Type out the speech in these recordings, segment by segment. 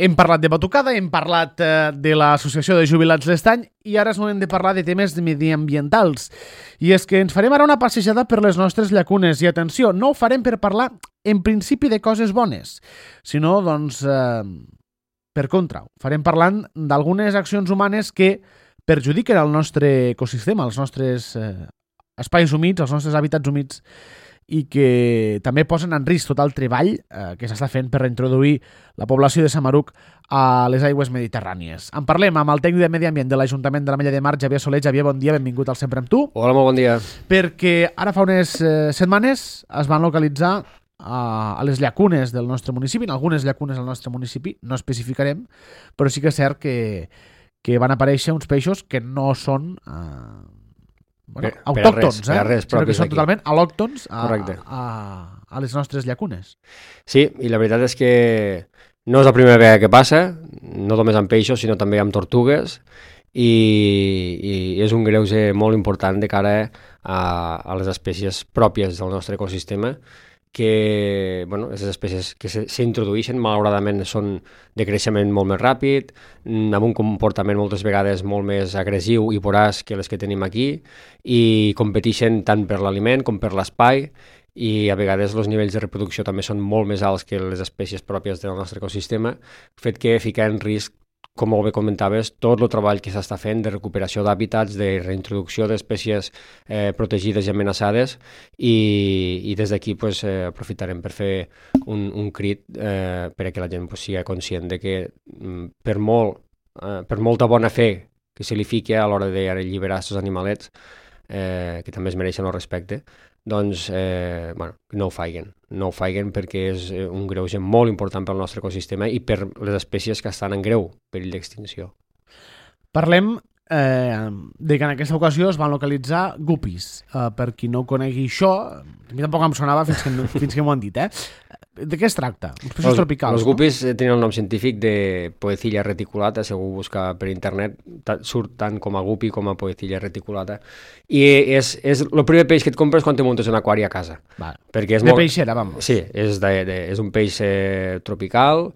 Hem parlat de batucada, hem parlat de l'Associació de Jubilats l'Estany i ara és moment de parlar de temes mediambientals. I és que ens farem ara una passejada per les nostres llacunes. I atenció, no ho farem per parlar en principi de coses bones, sinó, doncs, per contra. Ho farem parlant d'algunes accions humanes que perjudiquen el nostre ecosistema, els nostres espais humits, els nostres hàbitats humits, i que també posen en risc tot el treball que s'està fent per reintroduir la població de Samaruc a les aigües mediterrànies. En parlem amb el tècnic de Medi Ambient de l'Ajuntament de l'Ametlla de Mar, Javier Soler. Javier, bon dia, benvingut al Sempre amb tu. Hola, molt bon dia. Perquè ara fa unes setmanes es van localitzar a les llacunes del nostre municipi, en algunes llacunes del nostre municipi, no especificarem, però sí que és cert que van aparèixer uns peixos que no són... autòctons, sinó que són totalment al·lòctons a les nostres llacunes. Sí, i la veritat és que no és la primera vegada que passa, no només amb peixos, sinó també amb tortugues, i és un greuge molt important de cara a les espècies pròpies del nostre ecosistema, que les espècies que s'introdueixen malauradament són de creixement molt més ràpid, amb un comportament moltes vegades molt més agressiu i voraç que les que tenim aquí, i competeixen tant per l'aliment com per l'espai, i a vegades els nivells de reproducció també són molt més alts que les espècies pròpies del nostre ecosistema, fet que fica en risc, com molt bé comentaves, tot el treball que s'està fent de recuperació d'hàbitats, de reintroducció d'espècies protegides i amenaçades, i des d'aquí aprofitarem per fer un crit perquè la gent sigui conscient de que per molta bona fe que se li fiqui a l'hora d'alliberar aquests animalets, que també es mereixen el respecte, doncs no ho faiguen perquè és un greuge molt important pel nostre ecosistema i per les espècies que estan en greu perill d'extinció. Parlem de que en aquesta ocasió es van localitzar guppies. Per qui no conegui això, a mi tampoc em sonava fins que m'ho han dit. De què es tracta? Uns peixos tropicals. Els guppies tenen el nom científic de Poecilla reticulata, si algú busca per internet, surt tant com a guppy com a Poecilla reticulata. I és el primer peix que et compres quan te muntes un aquari a casa. Perquè és de peixera, vamos. Sí, és un peix tropical,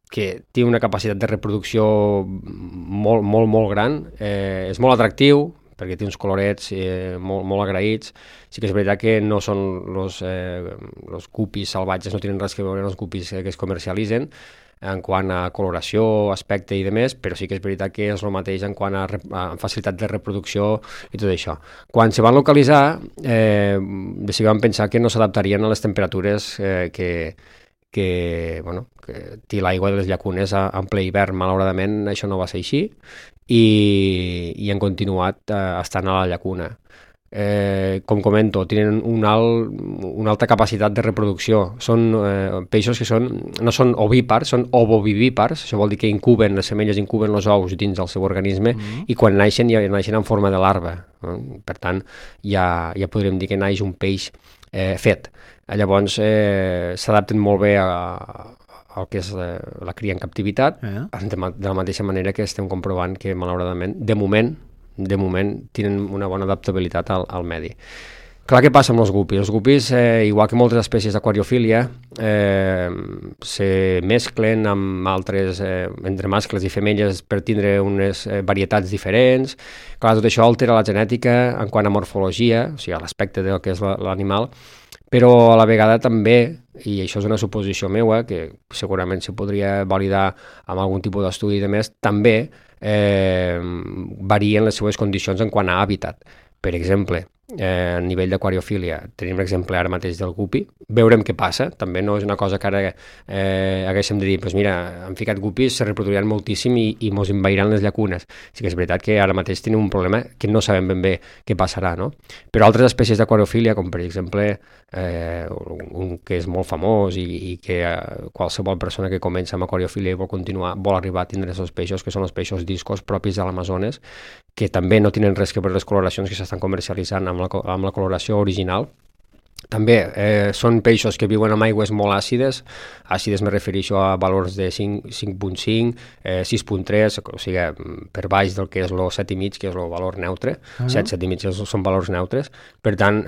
que té una capacitat de reproducció molt, molt, molt gran, és molt atractiu, perquè té uns colorets molt, molt agraïts. Sí que és veritat que no són els guppies salvatges, no tenen res que veure amb els guppies que es comercialitzen en quant a coloració, aspecte i demés, però sí que és veritat que és el mateix en quant a facilitat de reproducció i tot això. Quan se van localitzar, vam pensar que no s'adaptarien a les temperatures que té l'aigua de les llacunes en ple hivern. Malauradament això no va ser així i han continuat estant a la llacuna. Com comento, tenen una alta capacitat de reproducció. Són peixos que no són ovípars, són ovovivípars. Això vol dir que les femelles incuben els ous dins del seu organisme i quan naixen ja naixen en forma de larva. Per tant, ja podríem dir que naix un peix fet. Llavors s'adapten molt bé al que és la cria en captivitat, de la mateixa manera que estem comprovant que malauradament, de moment tenen una bona adaptabilitat al medi. Clar, què passa amb els guppies? Els guppies, igual que moltes espècies d'aquariofília, se mesclen amb altres, entre mascles i femelles per tindre unes varietats diferents. Clar, tot això altera la genètica en quant a morfologia, o sigui, a l'aspecte del que és l'animal, però a la vegada també, i això és una suposició meva, que segurament se podria validar amb algun tipus d'estudi i demés, també varien les seues condicions en quant a hàbitat. Per exemple, a nivell d'aquariofília, tenim l'exemple ara mateix del guppy, veurem què passa, també no és una cosa que ara haguéssim de dir, doncs mira, han ficat guppies, se reproduiran moltíssim i mos envairan les llacunes. Sí que és veritat que ara mateix tenim un problema que no sabem ben bé què passarà, no? Però altres espècies d'aquariofília, com per exemple un que és molt famós i que qualsevol persona que comença amb aquariofília i vol arribar a tindre aquests peixos, que són els peixos discos propis de l'Amazones, que també no tenen res que veure les coloracions que s'estan comercialitzant amb la coloració original, També són peixos que viuen en aigües molt àcides me refereixo a valors de 5.5, 6.3, o sigui, per baix del que és el 7,5, que és el valor neutre, 7,5 són valors neutres. Per tant,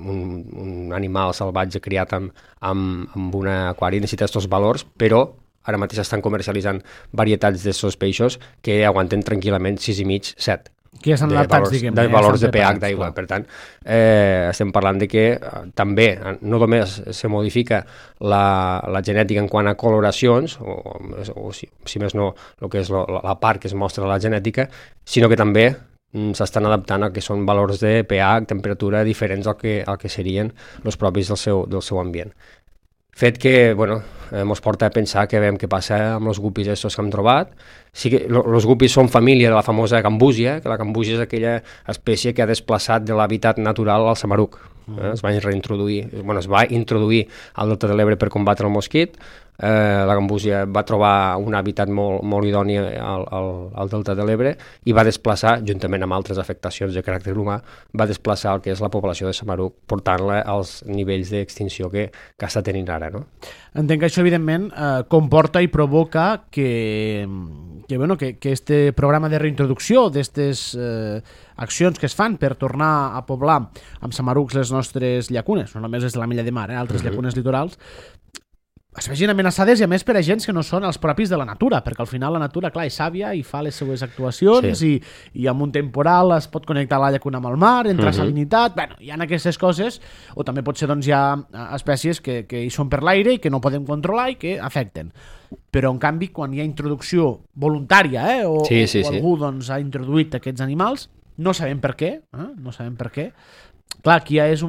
un animal salvatge criat amb un aquari necessita aquests valors, però ara mateix estan comercialitzant varietats d'aquests peixos que aguanten tranquil·lament 6,5, 7. Que ja s'han adaptats, diguem. De valors de pH d'aigua. Per tant, estem parlant de que també no només se modifica la genètica en quant a coloracions, o si més no, el que és la part que es mostra a la genètica, sinó que també s'estan adaptant a que són valors de pH, temperatura diferents al que serien els propis del seu ambient. Fet que, ens porta a pensar que veiem què passa amb els gupis estos que hem trobat. Sí que els gupis són família de la famosa gambúsia, que la gambúsia és aquella espècie que ha desplaçat de l'hàbitat natural al Samaruc. Es va introduir al Delta de l'Ebre per combatre el mosquit. La gambúsia va trobar un hàbitat molt idoni al Delta de l'Ebre i va desplaçar, juntament amb altres afectacions de caràcter humà, va desplaçar el que és la població de Samaruc, portant-la als nivells d'extinció que està tenint ara, no? Entenc que això, evidentment, comporta i provoca que este programa de reintroducció d'aquestes accions que es fan per tornar a poblar amb samarucs les nostres llacunes, no només les de la Mella de Mar, altres llacunes litorals, es vegin amenaçades i a més per agents que no són els propis de la natura, perquè al final la natura, clar, és sàvia i fa les seues actuacions, sí. i amb un temporal es pot connectar la llacuna amb el mar, entra salinitat, hi ha aquestes coses, o també potser hi ha espècies que hi són per l'aire i que no podem controlar i que afecten. Però en canvi, quan hi ha introducció voluntària, o algú ha introduït aquests animals, no sabem per què, clar, aquí ja és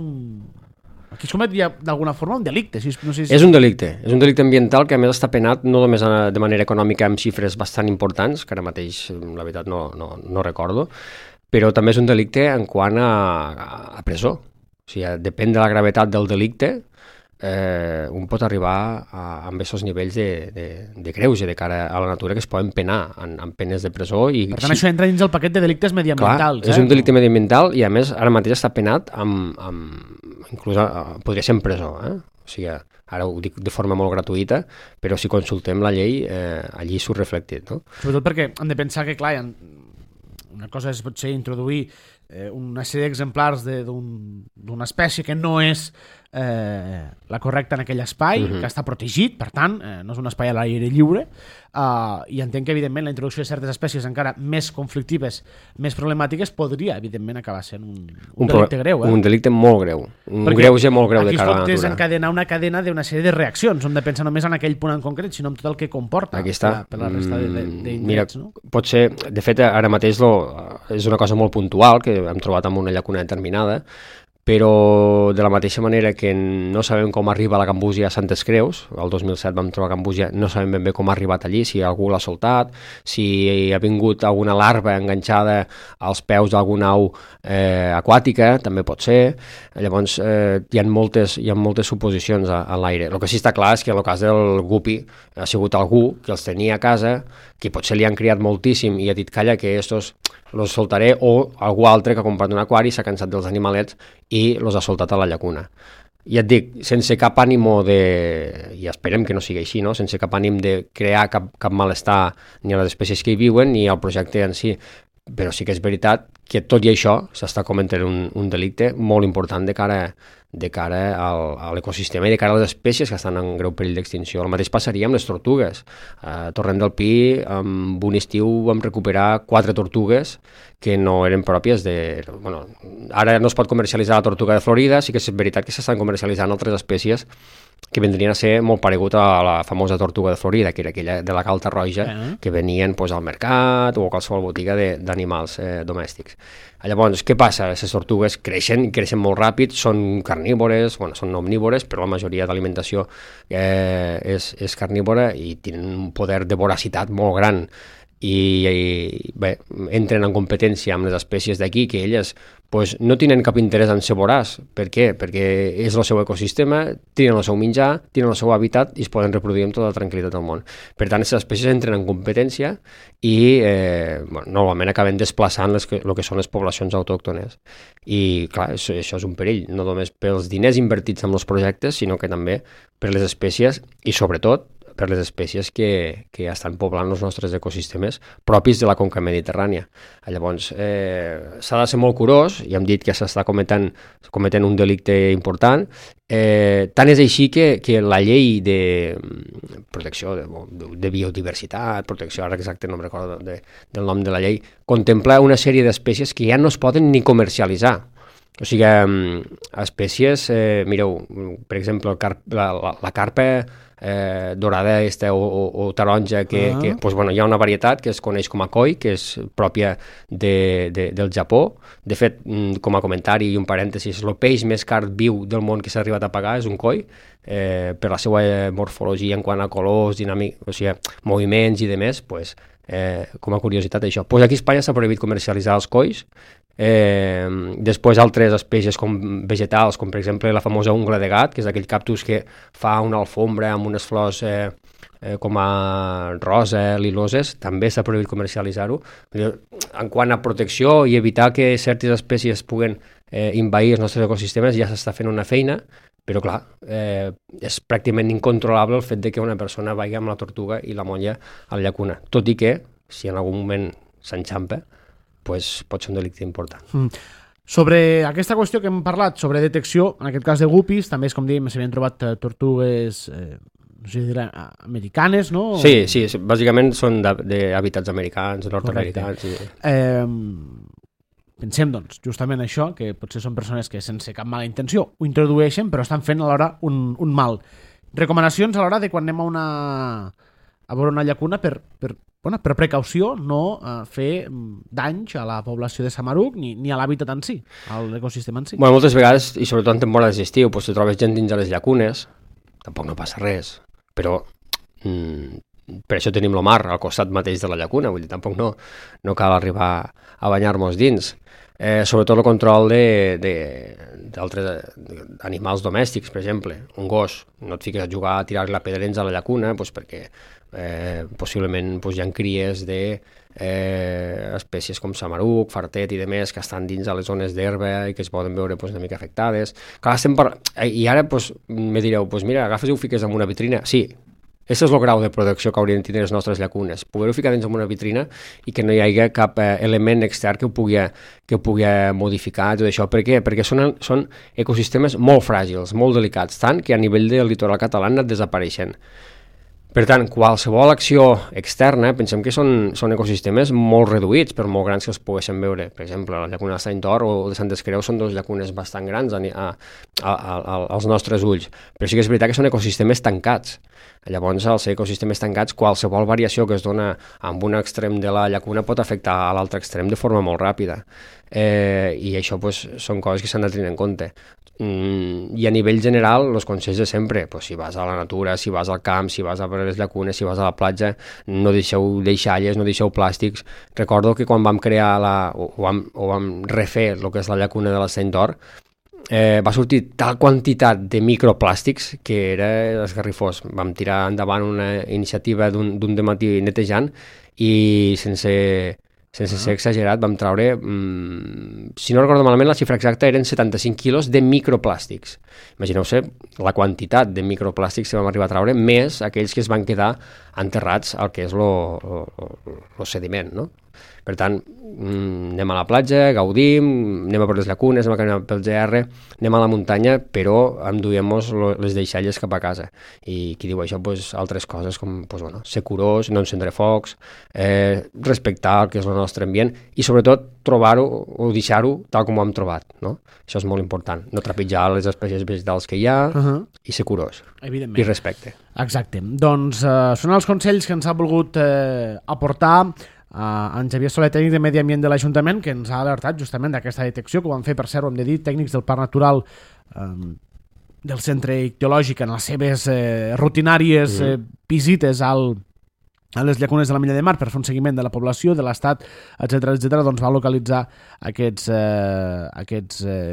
aquí es comet d'alguna forma un delicte. No sé si... És un delicte ambiental que a més està penat no només de manera econòmica amb xifres bastant importants, que ara mateix la veritat no recordo, però també és un delicte en quant a presó. O sigui, depèn de la gravetat del delicte, un pot arribar amb aquests nivells de greuge de cara a la natura que es poden penar amb penes de presó. Per tant, això entra dins el paquet de delictes mediambientals. Clar, és un delicte mediambiental i a més ara mateix està penat inclús podria ser en presó. O sigui, ara ho dic de forma molt gratuïta, però si consultem la llei, allí surt reflectit. No? Sobretot perquè hem de pensar que, clar, una cosa és potser introduir una sèrie d'exemplars d'una espècie que no és la correcta en aquell espai, que està protegit, per tant, no és un espai a l'aire lliure, i entenc que, evidentment, la introducció de certes espècies encara més conflictives, més problemàtiques, podria, evidentment, acabar sent un delicte greu. Un delicte molt greu, un greuge molt greu de cara a la natura. Aquí es pot desencadenar una cadena d'una sèrie de reaccions, no hem de pensar només en aquell punt en concret, sinó en tot el que comporta per la resta d'indrets. Mira, pot ser, de fet, ara mateix és una cosa molt puntual, que hem trobat en una llacuna determinada, però de la mateixa manera que no sabem com arriba la gambúsia a Santes Creus, el 2007 vam trobar gambúsia, no sabem ben bé com ha arribat allí, si algú l'ha soltat, si ha vingut alguna larva enganxada als peus d'alguna au aquàtica, també pot ser. Llavors hi ha moltes suposicions a l'aire. El que sí està clar és que en el cas del gupi ha sigut algú que els tenia a casa, que potser li han criat moltíssim i ha dit, calla, que estos los soltaré, o algú altre que ha comprat un aquari, s'ha cansat dels animalets i los ha soltat a la llacuna. I et dic, sense cap ànimo i esperem que no sigui així, no? Sense cap ànim de crear cap malestar ni a les espècies que hi viuen ni al projecte en si, però sí que és veritat que tot i això s'està cometent un delicte molt important de cara a l'ecosistema i de cara a les espècies que estan en greu perill d'extinció. El mateix passaria amb les tortugues. A Torrent del Pi, en un estiu vam recuperar 4 tortugues que no eren pròpies de... Ara no es pot comercialitzar la tortuga de Florida, sí que és veritat que s'estan comercialitzant altres espècies que vendrien a ser molt paregut a la famosa tortuga de Florida, que era aquella de la calta roja, que venien al mercat o a qualsevol botiga d'animals domèstics. Llavors, què passa? Les tortugues creixen molt ràpid, són carnívores, són omnívores, però la majoria d'alimentació és carnívora i tenen un poder de voracitat molt gran. i bé, entren en competència amb les espècies d'aquí, que elles pues, no tenen cap interès en ser voràs. Per què? Perquè és el seu ecosistema, tenen el seu menjar, tenen el seu hàbitat i es poden reproduir amb tota la tranquil·litat del món. Per tant, aquestes espècies entren en competència i normalment acaben desplaçant el que són les poblacions autòctones. I clar, això és un perill, no només pels diners invertits en els projectes, sinó que també per les espècies i sobretot per les espècies que estan poblant els nostres ecosistemes propis de la conca mediterrània. Llavors, s'ha de ser molt curós, i hem dit que s'està cometent un delicte important. Tant és així que la llei de protecció de biodiversitat, protecció, ara exacte no em recordo del nom de la llei, contempla una sèrie d'espècies que ja no es poden ni comercialitzar. O sigui, espècies, mireu, per exemple, la carpa dorada o taronja, pues, bueno, hi ha una varietat que es coneix com a koi, que és pròpia del Japó. De fet, com a comentari i un parèntesis, el peix més car viu del món que s'ha arribat a pagar és un koi, per la seva morfologia en quant a colors, o sigui, moviments i demés, pues, com a curiositat això. Pues aquí a Espanya s'ha prohibit comercialitzar els kois. Després altres espècies com vegetals, com per exemple la famosa ungla de gat, que és aquell cactus que fa una alfombra amb unes flors com a rosa, liloses, també s'ha prohibit comercialitzar-ho. En quant a protecció i evitar que certes espècies puguen envair els nostres ecosistemes, ja s'està fent una feina, però clar, és pràcticament incontrolable el fet de que una persona vagi amb la tortuga i la molla a la llacuna, tot i que, si en algun moment s'enxampa, pues, pot ser un delicte important. Sobre aquesta qüestió que hem parlat, sobre detecció, en aquest cas de guppies, també és com dèiem, s'havien trobat tortugues americanes, no? Sí, bàsicament són d'hàbitats americans, nord-americans. Pensem, doncs, justament això, que potser són persones que sense cap mala intenció ho introdueixen, però estan fent alhora un mal. Recomanacions a l'hora de quan anem a veure una llacuna per precaució, no fer danys a la població de Samaruc ni a l'hàbitat en si, a l'ecosistema en si. Bueno, moltes vegades, i sobretot en temporades d'estiu, pues, si trobes gent dins de les llacunes, tampoc no passa res, però per això tenim el mar al costat mateix de la llacuna, vull dir, tampoc no cal arribar a banyar-nos dins. Sobretot el control d'altres animals domèstics, per exemple, un gos, no et fiques a jugar a tirar la pedrens a la llacuna, pues, perquè possiblement pues, hi ha cries d'espècies com samaruc, fartet i demés que estan dins a les zones d'herba i que es poden veure pues, una mica afectades. Clar, i ara pues, me direu, pues, mira, agafes i ho fiques en una vitrina. Sí, aquest és el grau de protecció que haurien de tenir les nostres llacunes, poder-ho ficar dins en una vitrina i que no hi hagi cap element extern que ho pugui modificar, tot això. Per què? Perquè són ecosistemes molt fràgils, molt delicats, tant que a nivell del litoral català han anat desapareixent. Per tant, qualsevol acció externa, pensem que són ecosistemes molt reduïts, per molt grans que els poguessin veure. Per exemple, la llacuna de Sant Or o de Santes Creus són dues llacunes bastant grans als nostres ulls, però sí que és veritat que són ecosistemes tancats. Llavors, als ecosistemes tancats, qualsevol variació que es dona en un extrem de la llacuna pot afectar a l'altre extrem de forma molt ràpida. I això pues, són coses que s'han de tenir en compte. I a nivell general, els consells de sempre, pues, si vas a la natura, si vas al camp, si vas a les llacunes, si vas a la platja, no deixeu deixalles, no deixeu plàstics. Recordo que quan vam crear vam refer el que és la llacuna de la Sant Or, va sortir tal quantitat de microplàstics que era esgarrifós. Vam tirar endavant una iniciativa d'un dematí netejant i sense ser exagerat, vam treure, si no recordo malament, la xifra exacta eren 75 quilos de microplàstics. Imagineu-se la quantitat de microplàstics que vam arribar a treure, més aquells que es van quedar enterrats al que és el sediment, no? Per tant, anem a la platja, gaudim, anem a per les llacunes, anem a caminar pel GR, anem a la muntanya, però enduiem-nos les deixalles cap a casa. I qui diu això, pues, altres coses com pues, bueno, ser curós, no encendre focs, respectar el que és el nostre ambient i sobretot trobar-ho o deixar-ho tal com ho hem trobat. No? Això és molt important, no trepitjar les espècies vegetals que hi ha i ser curós. Evidentment. I respecte. Exacte. Doncs són els consells que ens ha volgut aportar en Xavier Soler, tècnic de Medi Ambient de l'Ajuntament, que ens ha alertat justament d'aquesta detecció, que ho van fer, per cert, ho hem de dir, tècnics del Parc Natural del Centre Ictiològic en les seves rutinàries visites al a les llacunes de la Milla de Mar per fer un seguiment de la població, de l'estat, etc doncs va localitzar aquests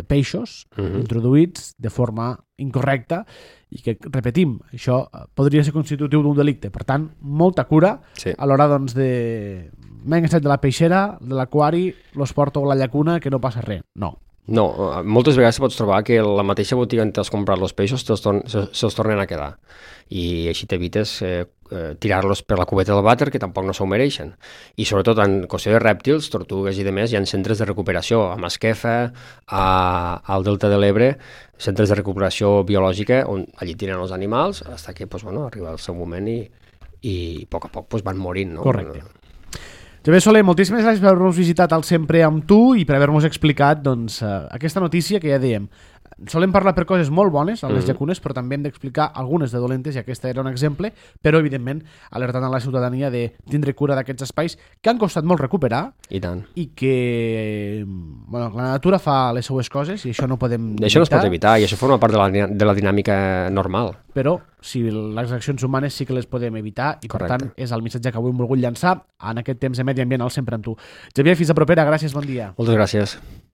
peixos introduïts de forma incorrecta i que, repetim, això podria ser constitutiu d'un delicte. Per tant, molta cura a l'hora doncs, de... M'he enganxat de la peixera, de l'aquari, los porto a la llacuna, que no passa res. No. No, moltes vegades pots trobar que la mateixa botiga on t'has comprat els peixos se'ls tornen a quedar i així t'evites tirar-los per la cubeta del vàter, que tampoc no s'ho mereixen. I sobretot en qüestió de rèptils, tortugues i demés, hi ha centres de recuperació a Masquefa, al Delta de l'Ebre, centres de recuperació biològica on allí tiren els animals fins que arriba el seu moment i a poc van morint. No? Correcte. Javier Soler, moltíssimes gràcies per haver-nos visitat al Sempre amb tu i per haver-nos explicat doncs, aquesta notícia que ja dèiem. Solem parlar per coses molt bones a les llacunes, però també hem d'explicar algunes de dolentes, i aquesta era un exemple, però evidentment alertant a la ciutadania de tindre cura d'aquests espais que han costat molt recuperar i tant. I que la natura fa les seues coses i això no podem evitar. Això no es pot evitar i això forma part de la dinàmica normal. Però si les accions humanes sí que les podem evitar i per tant és el missatge que avui hem volgut llançar en aquest temps de medi ambient al Sempre amb tu. Javier, fins a propera, gràcies, bon dia. Moltes gràcies.